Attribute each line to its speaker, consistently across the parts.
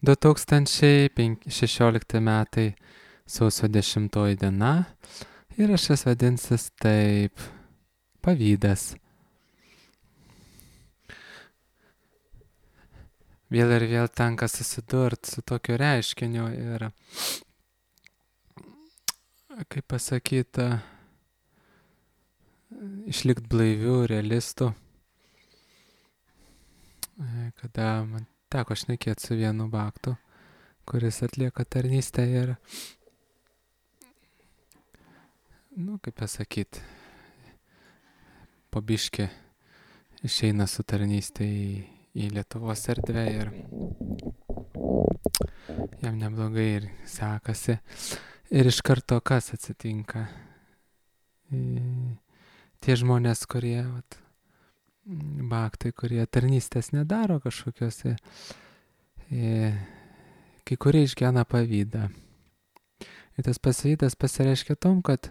Speaker 1: 2016 metai sausio 10 diena įrašas vadinsis taip - pavydas. Vėl ir vėl tenka susidurti su tokiu reiškiniu ir, kaip pasakyta, išlikti blaivių, realistų. Kada man teko šnekėti su vienu baktu, kuris atlieka tarnystę ir, kaip pasakyti, po biškį išeina su tarnystė į Lietuvos erdvę ir jam neblogai ir sekasi. Ir iš karto kas atsitinka? Tie žmonės, kurie, baktai, kurie tarnystės nedaro kažkokiuose, kai kurie išgyvena pavydą. Ir tas pavydas pasireiškia tom, kad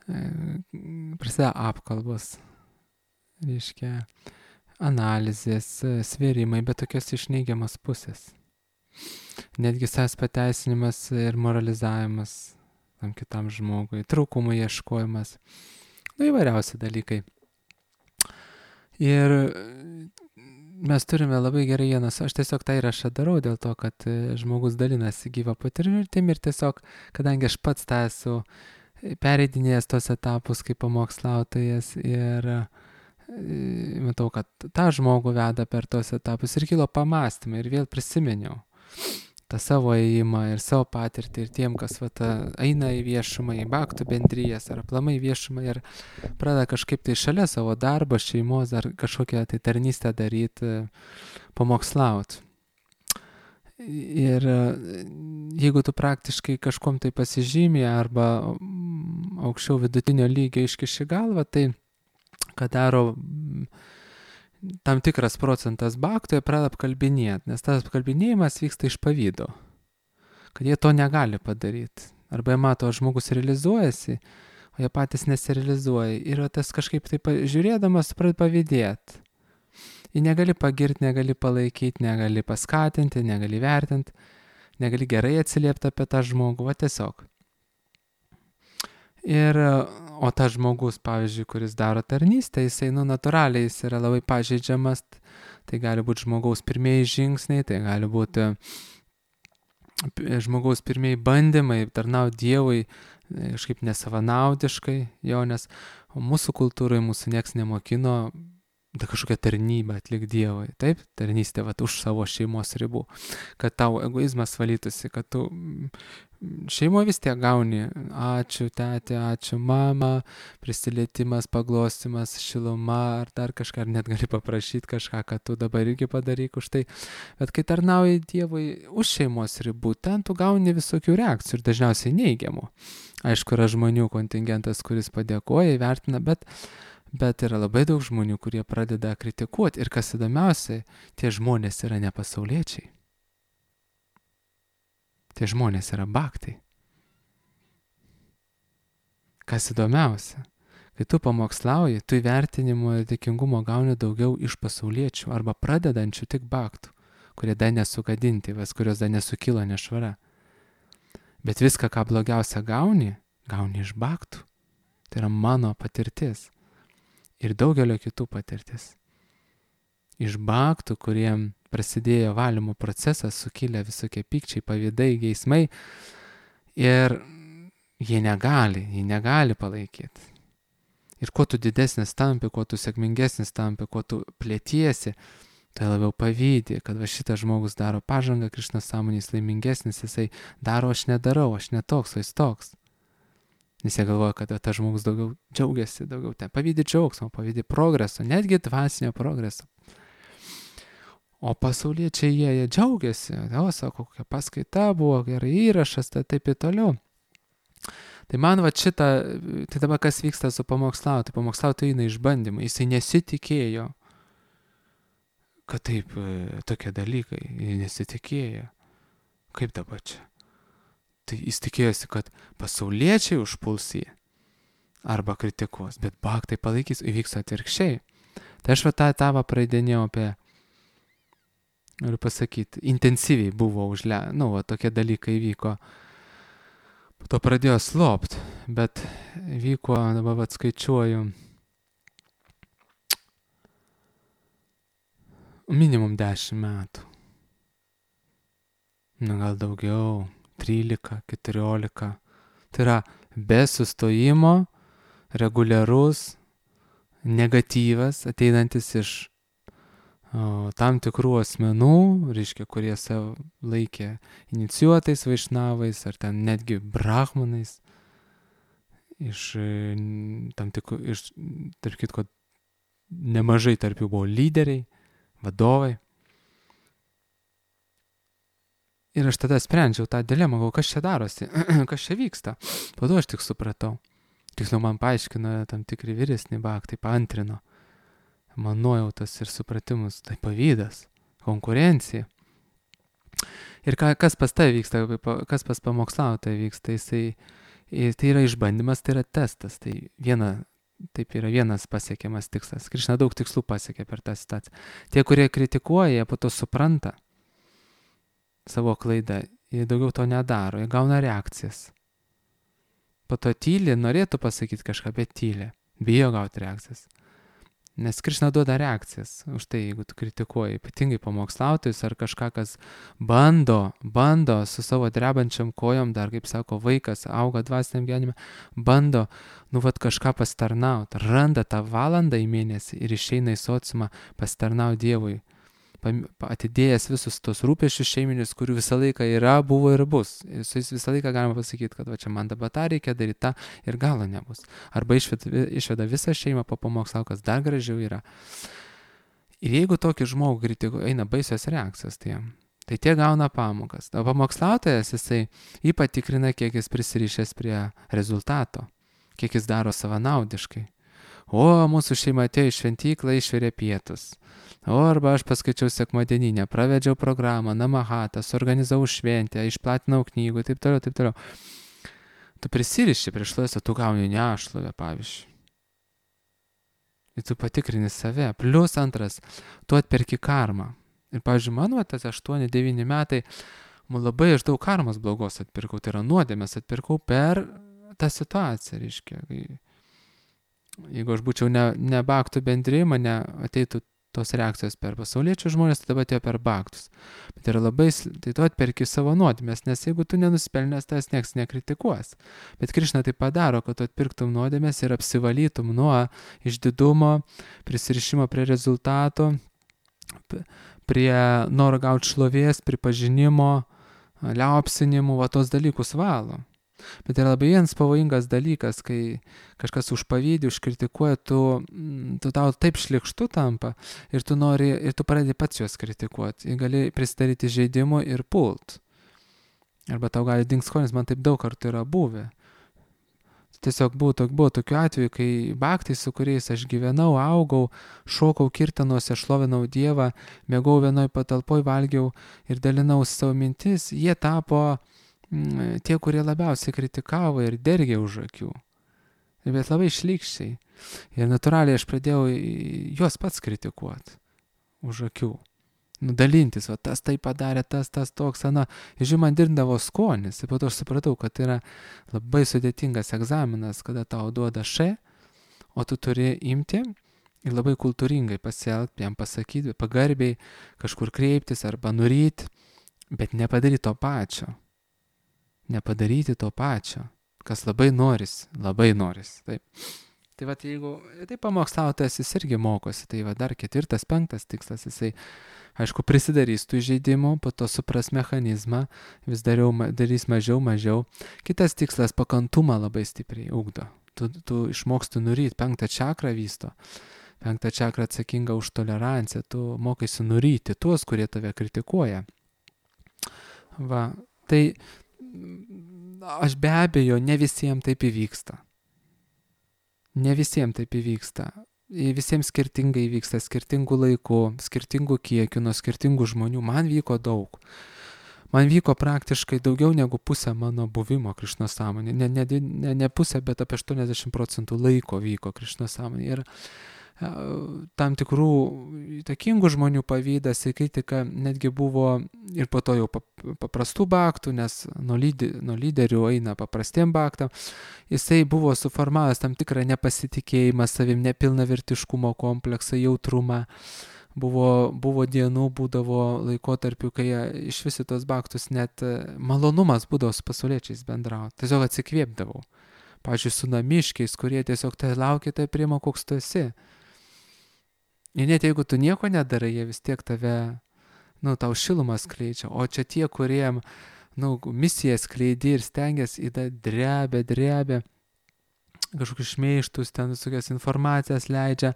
Speaker 1: prasideda apkalbos, reiškia analizės, svėrimai, bet tokios iš neigiamas pusės. Netgi savęs pateisinimas ir moralizavimas tam kitam žmogui, trūkumų ieškojimas, įvairiausi dalykai. Ir mes turime labai gerai vienas, aš tiesiog tą įrašą darau dėl to, kad žmogus dalinasi gyvą patirtim ir tiesiog, kadangi aš pats tą esu pereidinėjęs tos etapus kaip pamokslautojas ir matau, kad tą žmogų veda per tos etapus ir kilo pamastymai ir vėl prisiminiau tą savo ėjimą ir savo patirtį ir tiem, kas eina į viešumą, į baktų bendrijas ar aplamai į viešumą ir pradeda kažkaip tai šalia savo darbo, šeimos ar kažkokią tai tarnystę daryti, pamokslauti. Ir jeigu tu praktiškai kažkom tai pasižymė arba aukščiau vidutinio lygio iškiši galvą, tai ką daro tam tikras procentas baktų, jie pradeda apkalbinėti, nes tas apkalbinėjimas vyksta iš pavydo, kad jie to negali padaryti. Arba jie mato, žmogus realizuojasi, o jie patys nesirealizuoja. Ir tas kažkaip taip žiūrėdamas pradeda pavydėti. Jį negali pagirti, negali palaikyti, negali paskatinti, negali vertinti, negali gerai atsiliepti apie tą žmogų, tiesiog. Ir, o tas žmogus, pavyzdžiui, kuris daro tarnystę, jisai, natūraliai, jis yra labai pažeidžiamas, tai gali būti žmogaus pirmieji žingsniai, tai gali būti žmogaus pirmieji bandymai tarnauti Dievui kažkaip nesavanaudiškai, nes mūsų kultūroje mūsų nieks nemokino kažkokią tarnybą atlikti Dievui, taip, tarnystė už savo šeimos ribų, kad tau egoizmas valytųsi, kad tu šeimoje vis tiek gauni, ačiū tėtė, ačiū mama, prisilietimas, paglostimas, šiluma ar dar kažką, ar net gali paprašyti kažką, kad tu dabar irgi padaryk už tai, bet kai tarnauji Dievui už šeimos ribų, ten tu gauni visokių reakcijų ir dažniausiai neigiamų. Aišku, yra žmonių kontingentas, kuris padėkoja, įvertina, bet yra labai daug žmonių, kurie pradeda kritikuoti ir kas įdomiausia, tie žmonės yra ne pasauliečiai. Tie žmonės yra baktai. Kas įdomiausia, kai tu pamokslauji, tu įvertinimo ir dėkingumo gauni daugiau iš pasauliečių arba pradedančių tik baktų, kurie dar nesugadinti, kurios dar nesukilo nešvara. Bet viską, ką blogiausia gauni iš baktų. Tai yra mano patirtis ir daugelio kitų patirtis. Iš baktų, kuriem prasidėjo valymo procesas, sukilę visokie pykčiai, pavydai, geismai ir jie negali palaikyti. Ir kuo tu didesnis tampi, kuo tu sėkmingesnis tampi, kuo tu plėtiesi, tai labiau pavydė, kad šitas žmogus daro pažangą, Krišnos sąmonės laimingesnis, jisai daro, aš nedarau, aš netoks, o jis toks. Nes jie galvoja, kad tas žmogus daugiau džiaugiasi, daugiau ten pavydė džiaugsmo, pavydė progreso, netgi dvasinio progreso. O pasauliečiai jie džiaugiasi, sako, kokia paskaita buvo, gerai įrašas, tai taip ir toliau. Tai man tai dabar kas vyksta su pamokslautoju, pamokslautojai eina išbandymai, jisai nesitikėjo, kad taip tokie dalykai, nesitikėjo. Kaip dabar čia? Tai jis tikėjosi, kad pasauliečiai užpuls jį arba kritikuos, bet baktai palaikys, įvyks atvirkščiai. Tai aš tą etapą praeidinėjau apie noriu pasakyti, intensyviai buvo tokie dalykai vyko. Po to pradėjo slopt, bet vyko, dabar skaičiuoju, minimum 10 metų. Gal daugiau, 13, 14. Tai yra be sustojimo, reguliarus, negatyvas, ateinantis iš tam tikrų asmenų, reiškia, kurie save laikė inicijuotais vaišnavais ar ten netgi brahmanais, tarp kitko, nemažai tarp jų buvo lyderiai, vadovai. Ir aš tada sprendžiau tą dilemą, kas čia darosi, kas čia vyksta. Po to aš tik supratau. Tiksliau man paaiškino tam tikri vyresni bhaktai, paantrino. Man nuojautas ir supratimus, tai pavydas, konkurencija. Ir kas pas tai vyksta, kas pas pamokslautoją vyksta, tai yra išbandymas, tai yra testas. Taip yra vienas pasiekiamas tikslas. Krišna daug tikslų pasiekė per tą situaciją. Tie, kurie kritikuoja, jie po to supranta savo klaidą, jie daugiau to nedaro, jie gauna reakcijas. Po to tyli, norėtų pasakyti kažką, bet tyli, bijo gauti reakcijas. Nes Krišna duoda reakcijas už tai, jeigu tu kritikuoji, ypatingai pamokslautojus ar kažką, kas bando su savo drebančiam kojom, dar kaip sako, vaikas auga dvasiniam gyvenime, bando, kažką pasitarnauti, randa tą valandą į mėnesį ir išeina į sociumą pasitarnauti Dievui, atidėjęs visus tos rūpesčius šeiminius, kurių visą laiką yra, buvo ir bus. Ir su jais visą laiką galima pasakyti, kad čia man dabar tą reikia daryti, tą ir galo nebus. Arba išveda visą šeimą po pamokslo, kas dar gražiau yra. Ir jeigu tokį žmogų kritikuoja, eina baisios reakcijos, tai tie gauna pamokas. O pamokslautojas, jį patikrina, kiek jis prisirišęs prie rezultato, kiek jis daro savanaudiškai. O, mūsų šeima atėjo į šventyklą, išvirė pietus. Arba aš paskaičiau sekmadieninę, pravedžiau programą, namahatą, suorganizavau šventę, išplatinau knygų, taip toliau. Tu prisiriši prieš šlovės, tu gauni nešlovę, pavyzdžiui. Ir tu patikrini save. Plius antras, tu atperki karmą. Ir, pavyzdžiui, mano tas 8-9 metai, labai aš daug karmos blogos atpirkau, tai yra nuodėmės atpirkau per tą situaciją, reiškia. Jeigu aš būčiau ne bhaktų bendri, mane ateitų tos reakcijos per pasauliečių žmonės, tai dabar atėjo per bhaktus. Bet tai tu atperki savo nuodėmės, nes jeigu tu nenuspelnęs, tas nieks nekritikuos. Bet Krišna tai padaro, kad tu atpirktum nuodėmės ir apsivalytum nuo išdidumo, prisirišimo prie rezultato, prie noro gauti šlovės, pripažinimo, liaupsinimų, tos dalykus valo. Bet yra labai vienas pavojingas dalykas, kai kažkas užpavydi, užkritikuoja, tu tau taip šlikštu tampa ir tu pradedi pats juos kritikuoti. Ir gali prisidaryti žaidimų ir pult. Arba tau gali dingti skonis, man taip daug kartų yra buvę. Tiesiog buvo tokių atvejų, kai bhaktai, su kuriais aš gyvenau, augau, šokau kirtanuose, šlovinau Dievą, mėgau vienoj patalpoj, valgiau ir dalinau savo mintis, jie tapo tie, kurie labiausiai kritikavo ir dergė už akių. Bet labai šlykščiai. Ir natūraliai aš pradėjau juos pats kritikuoti už akių. Dalintis, tas tai padarė, tas toks, ir man dirbdavo skonis. Ir po to aš supratau, kad tai yra labai sudėtingas egzaminas, kada tau duoda o tu turi imti ir labai kultūringai pasielgti, jam pasakyti, pagarbiai kažkur kreiptis arba nuryti, bet nepadaryti to pačio. Nepadaryti to pačio, kas labai norisi. Taip. Tai jeigu pamokslautojas jis irgi mokosi, tai dar 4, 5 tikslas, jisai, aišku, prisidarys tų žaidimų, po to supras mechanizmą, vis darys mažiau. Kitas tikslas, pakantumą labai stipriai ugdo. Tu išmoksti nuryti, 5 čakrą vysto. 5 čakra atsakinga už toleranciją, tu mokaisi nuryti tuos, kurie tave kritikuoja. Tai aš be abejo, ne visiems taip įvyksta. Visiems skirtingai vyksta, skirtingų laikų, skirtingų kiekių, nuo skirtingų žmonių. Man vyko daug. Man vyko praktiškai daugiau negu pusę mano buvimo Krišnos sąmonė. Ne pusę, bet apie 80% laiko vyko Krišnos sąmonė. Ir tam tikrų įtakingų žmonių pavydas ir kritika netgi buvo ir po to jau paprastų baktų, nes nuo lyderių eina paprastiem baktam. Jisai buvo suformavęs tam tikrą nepasitikėjimą savim, nepilnavertiškumo kompleksą, jautrumą. Buvo dienų, būdavo laikotarpių, kai iš visi tos baktus net malonumas būdavo su pasauliečiais bendrauti. Tiesiog atsikvėpdavau. Pavyzdžiui, su namiškiais, kurie tiesiog tai laukia, tai priima, koks tu esi. Ir net jeigu tu nieko nedarai, jie vis tiek tave, tau šilumą skleidžia. O čia tie, kuriem, misiją skleidi ir stengiasi, drebia, kažkokius šmeištus, ten visokias informacijas leidžia,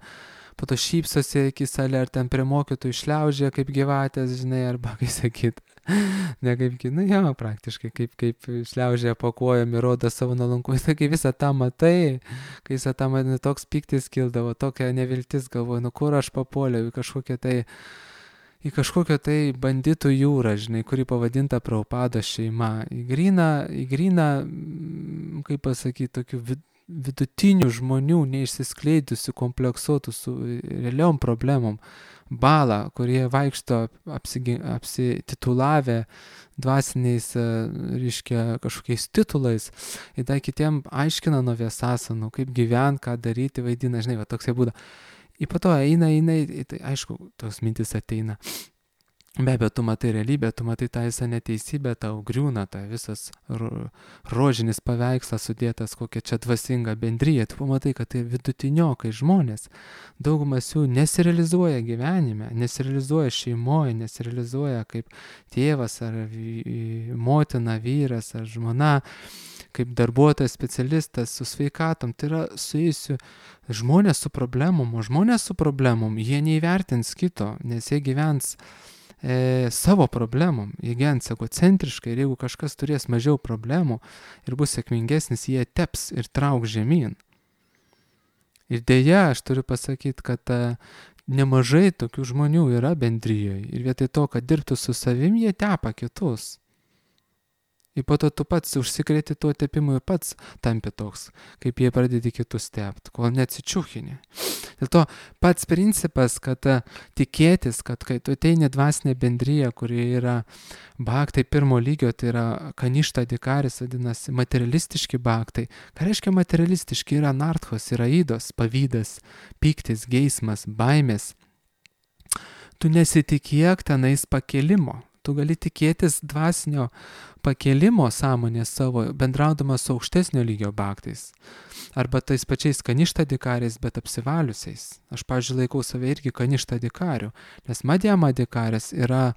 Speaker 1: po to šypsosi akisale, ar ten prie mokytojų šliaužia kaip gyvatės, žinai, arba kaip sakyt, ne kaip, praktiškai kaip šliaužia po kojom ir rodo savo nuolankumą. Tai kai visą tą matai, kai visą tą matai, toks pyktis kildavo, tokia neviltis, galvoju, kur aš papuoliau į kažkokią tai banditų jūrą, žinai, kuri pavadinta Prabhupados šeima. Į gryną, kaip pasakyti, tokių vidutinių žmonių, neišsiskleidusių, kompleksuotų su realiom problemom, balą, kurie vaikšto apsititulavę dvasiniais, reiškia, kažkokiais titulais, ir dar kitiem aiškina nuo viesasanų, kaip gyvent, ką daryti, vaidina, žinai, toksai būda. Ir po to eina, tai aišku, tos mintis ateina. Be abejo, tu matai realybę, tu matai tą visą neteisybę, tau griūna tą visas rožinis paveikslas sudėtas, kokia čia dvasinga bendryja. Tu pamatai, kad tai vidutiniokai žmonės. Daugumas jų nesirealizuoja gyvenime, nesirealizuoja šeimoje, nesirealizuoja kaip tėvas ar motina, vyras ar žmona, kaip darbuotojas, specialistas su sveikatom. Tai yra suėjusių žmonės su problemom, o žmonės su problemom, jie neįvertins kito, nes jie gyvens savo problemom, jie gyvens egocentriškai, ir jeigu kažkas turės mažiau problemų ir bus sėkmingesnis, jie teps ir trauks žemyn. Ir dėja, aš turiu pasakyti, kad nemažai tokių žmonių yra bendrijoje, ir vietoj to, kad dirbtų su savim, jie tepa kitus. Ir po to tu pats užsikrėti tuo tepimu ir pats tampi toks, kaip jie pradedi kitus tepti, kol neatsičiūchini. Dėl to pats principas, kad tikėtis, kad kai tu ateini dvasinė bendryja, kuri yra bhaktai pirmo lygio, tai yra kaništa dikaris, vadinasi, materialistiški bhaktai. Ką reiškia materialistiški? Yra narthos, yra įdos, pavydas, pyktis, geismas, baimės. Tu nesitikėk tenais pakelimo. Tu gali tikėtis dvasinio pakelimo sąmonės savo, bendraudamas su aukštesnio lygio bhaktais. Arba tais pačiais kaništa dikariais, bet apsivaliusiais. Aš, pavyzdžiui, laikau save irgi kaništa dikariu, nes madhyama dikaris yra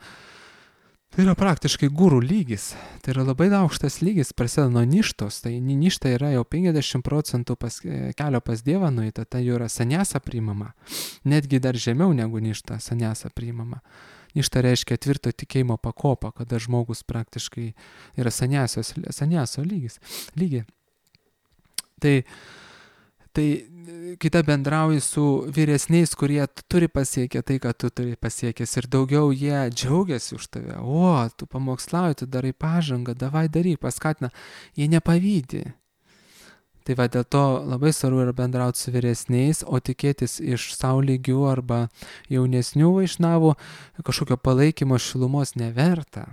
Speaker 1: praktiškai gurų lygis. Tai yra labai aukštas lygis, prasideda nuo ništos. Tai ništa yra jau 50% kelio pas Dievą nueita, tai jau yra sanyasa priimama. Netgi dar žemiau negu ništa sanyasa priimama. Ništa reiškia tvirto tikėjimo pakopą, kada žmogus praktiškai yra sanyaso lygi. Tai kita bendrauji su vyresniais, kurie turi pasiekę tai, ką tu turi pasiekęs, ir daugiau jie džiaugiasi už tave. O, tu pamokslauji, tu darai pažangą, davai daryk, paskatina. Jie nepavydi. Tai va, dėl to labai svarbu yra bendrauti su vyresniais, o tikėtis iš savo lygių arba jaunesnių vaišnavų kažkokio palaikymo, šilumos neverta.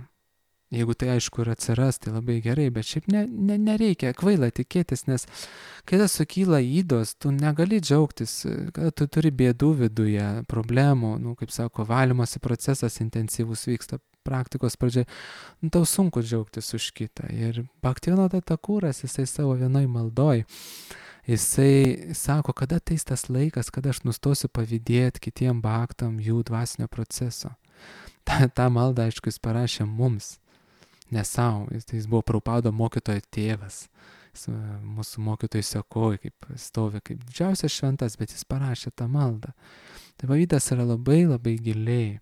Speaker 1: Jeigu tai aišku ir atsiras, tai labai gerai, bet šiaip nereikia kvaila tikėtis, nes kai tas sukyla įdos, tu negali džiaugtis, kad tu turi bėdų viduje, problemų, kaip sako, valymosi procesas intensyvus vyksta praktikos pradžiai, tau sunku džiaugtis už kitą. Ir Bhaktivinoda Thakuras, jisai savo vienoj maldoj, jisai sako, kada ateis tas laikas, kada aš nustosiu pavydėti kitiem bhaktam jų dvasinio proceso. Ta malda, aišku, jis parašė mums, ne savo. Jis buvo Prabhupada mokytojo tėvas. Mūsų mokytojai sekoja, kaip stovi, kaip didžiausias šventas, bet jis parašė tą maldą. Tai pavydas yra labai, labai giliai.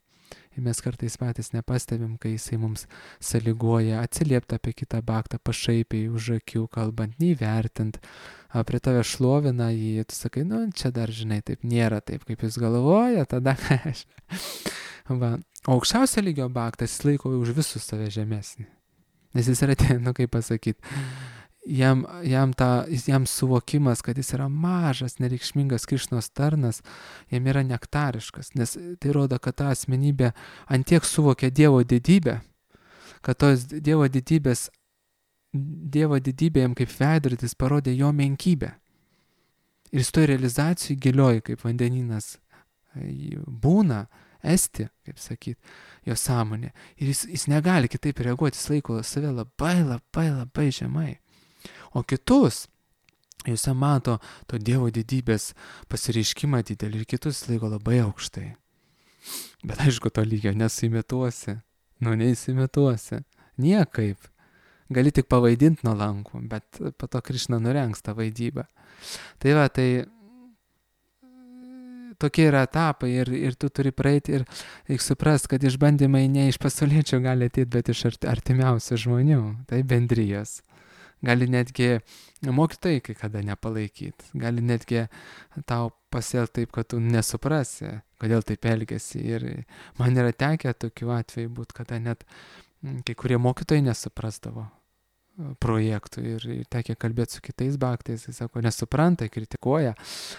Speaker 1: Ir mes kartais patys nepastebim, kai jisai mums sąlygoja atsiliepti apie kitą bhaktą pašaipiai už akių kalbant, neįvertint, prie tave šlovina jį, tu sakai, čia dar, žinai, taip nėra taip, kaip jūs galvoja, tada ką aš. Va. O aukščiausio lygio bhaktas jis laiko už visus save žemesnį. Nes jis yra, kaip pasakyti, jam suvokimas, kad jis yra mažas, nereikšmingas Krišnos tarnas, jam yra nektariškas, nes tai rodo, kad ta asmenybė antiek suvokia Dievo didybę, kad tos Dievo didybė jam kaip veidrodis parodė jo menkybę. Ir jis toj realizacijai gilioj, kaip vandeninas būna, esti, kaip sakyt, jo sąmonė. Ir jis negali kitaip reaguoti, jis laiko save labai žemai. O kitus, jis mato to Dievo didybės pasireiškimą didelį ir kitus laiko labai aukštai. Bet aišku, to lygio nesimituosi. Neįsimituosi. Niekaip. Gali tik pavaidinti nuolankų, bet po to Krišna nurengs tą vaidybą. Tai va, tokie yra etapai ir tu turi praeiti ir reikia suprasti, kad išbandymai ne iš pasauliečių gali ateiti, bet iš artimiausių žmonių. Tai bendrijos. Gali netgi mokytojai kai kada nepalaikyti. Gali netgi tau pasielgti taip, kad tu nesuprasi, kodėl taip elgiasi. Ir man yra tekę tokių atvejų būti, kada net kai kurie mokytojai nesuprasdavo projektų ir tekę kalbėti su kitais baktais, jis sako, nesupranta, kritikuoja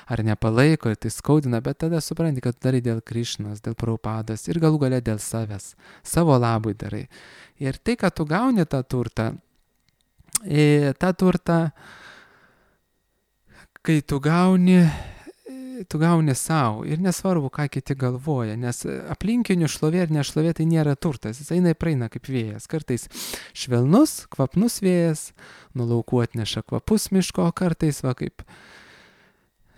Speaker 1: ar nepalaiko ir tai skaudina, bet tada supranti, kad darai dėl Krišnos, dėl Prabhupados ir galų gale dėl savęs, savo labui darai. Ir tai, kad tu gauni tą turtą, kai tu gauni savo ir nesvarbu, ką kiti galvoja, nes aplinkinių šlovė ir nešlovė tai nėra turtas, jis eina ir praeina kaip vėjas, kartais švelnus, kvapnus vėjas, nuo laukų atneša kvapus miško, o kartais va kaip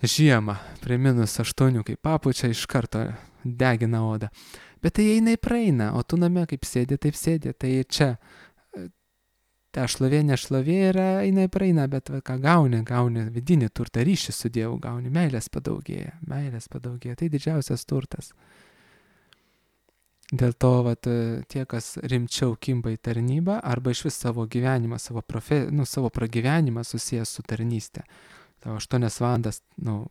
Speaker 1: žiemą prie -8, kai papučia iš karto degina odą, bet tai eina ir praeina, o tu name kaip sėdi, taip sėdi, tai čia ta šlovė, nešlovė yra, eina ir praeina, bet va, ką gauni vidinį turtą, ryšį su Dievu gauni, meilės padaugėja, tai didžiausias turtas. Dėl to, vat, tie, kas rimčiau kimba į tarnybą, arba iš vis savo gyvenimą, savo pragyvenimą susijęs su tarnystė. Tavo 8 valandas,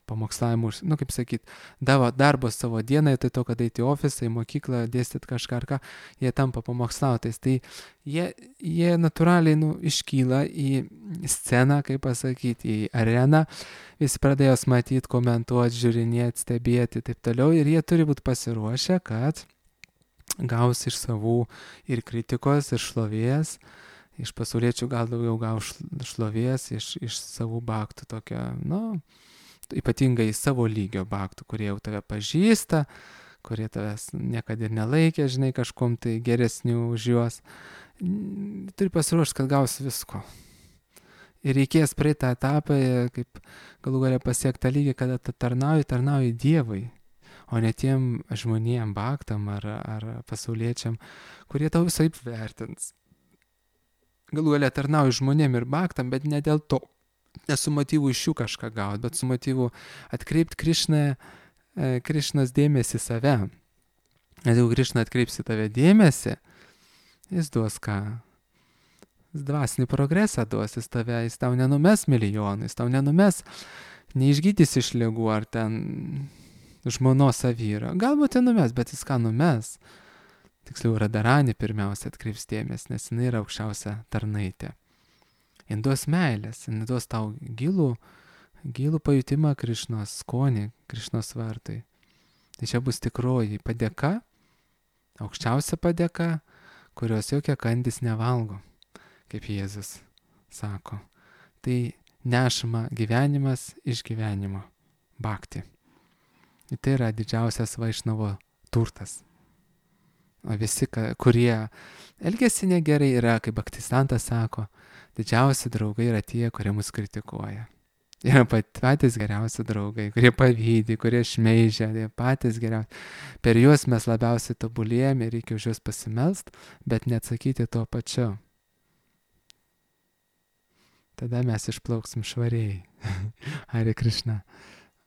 Speaker 1: pamokslavimų, kaip sakyt, darbo savo dienai, tai to, kad eiti į ofisą, į mokyklą, dėstyti kažką ar ką, jie tampa pamokslautais. Tai jie natūraliai iškyla į sceną, kaip pasakyti, į areną, visi pradėjo matyti, komentuoti, žiūrinėti, stebėti ir taip toliau, ir jie turi būti pasiruošę, kad gaus iš savų ir kritikos, ir šlovės. Iš pasauliečių gal daugiau gaus šlovės, iš savų baktų tokio, ypatingai savo lygio baktų, kurie jau tave pažįsta, kurie tavęs niekada ir nelaikė, žinai, kažkom tai geresnių už juos. Turi pasiruošti, kad gaus visko. Ir reikės praeiti tą etapą, kaip galų galia pasiekti tą lygį, kada tarnauji Dievui, o ne tiem žmonėm, baktam ar pasauliečiam, kurie tau visai vertins. Galų galia tarnauji žmonėm ir baktam, bet ne dėl to, ne su motyvu iš jų kažką gauti, bet su motyvu atkreipti Krišnos dėmesį save. Nes jeigu Krišna atkreipsi tave dėmesį, jis duos ką? Jis dvasinį progresą duos, jis tau nenumes milijonų, jis tau nenumes, neišgydys iš ligų ar ten žmonos vyro. Galbūt nenumes, bet jis ką numes? Tiksliau, Radharani pirmiausia atkreips dėmesį, nes jinai yra aukščiausia tarnaitė. Jis duos meilės, jis duos tau gilų pajutimą Krišnos skonį, Krišnos vartui. Tai čia bus tikroji padėka, aukščiausia padėka, kurios jokia kandis nevalgo, kaip Jėzus sako. Tai nešama gyvenimas iš gyvenimo, bhakti. Ir tai yra didžiausias Vaišnavo turtas. O visi, kurie elgesi negerai, yra, kaip Bhaktisantas sako, didžiausi draugai yra tie, kurie mus kritikuoja. Yra patys geriausi draugai, kurie pavydi, kurie šmeižia, tai patys geriausi. Per juos mes labiausiai tobulėjame ir reikia už juos pasimelst, bet neatsakyti tuo pačiu. Tada mes išplauksim švariai. Hare Krishna.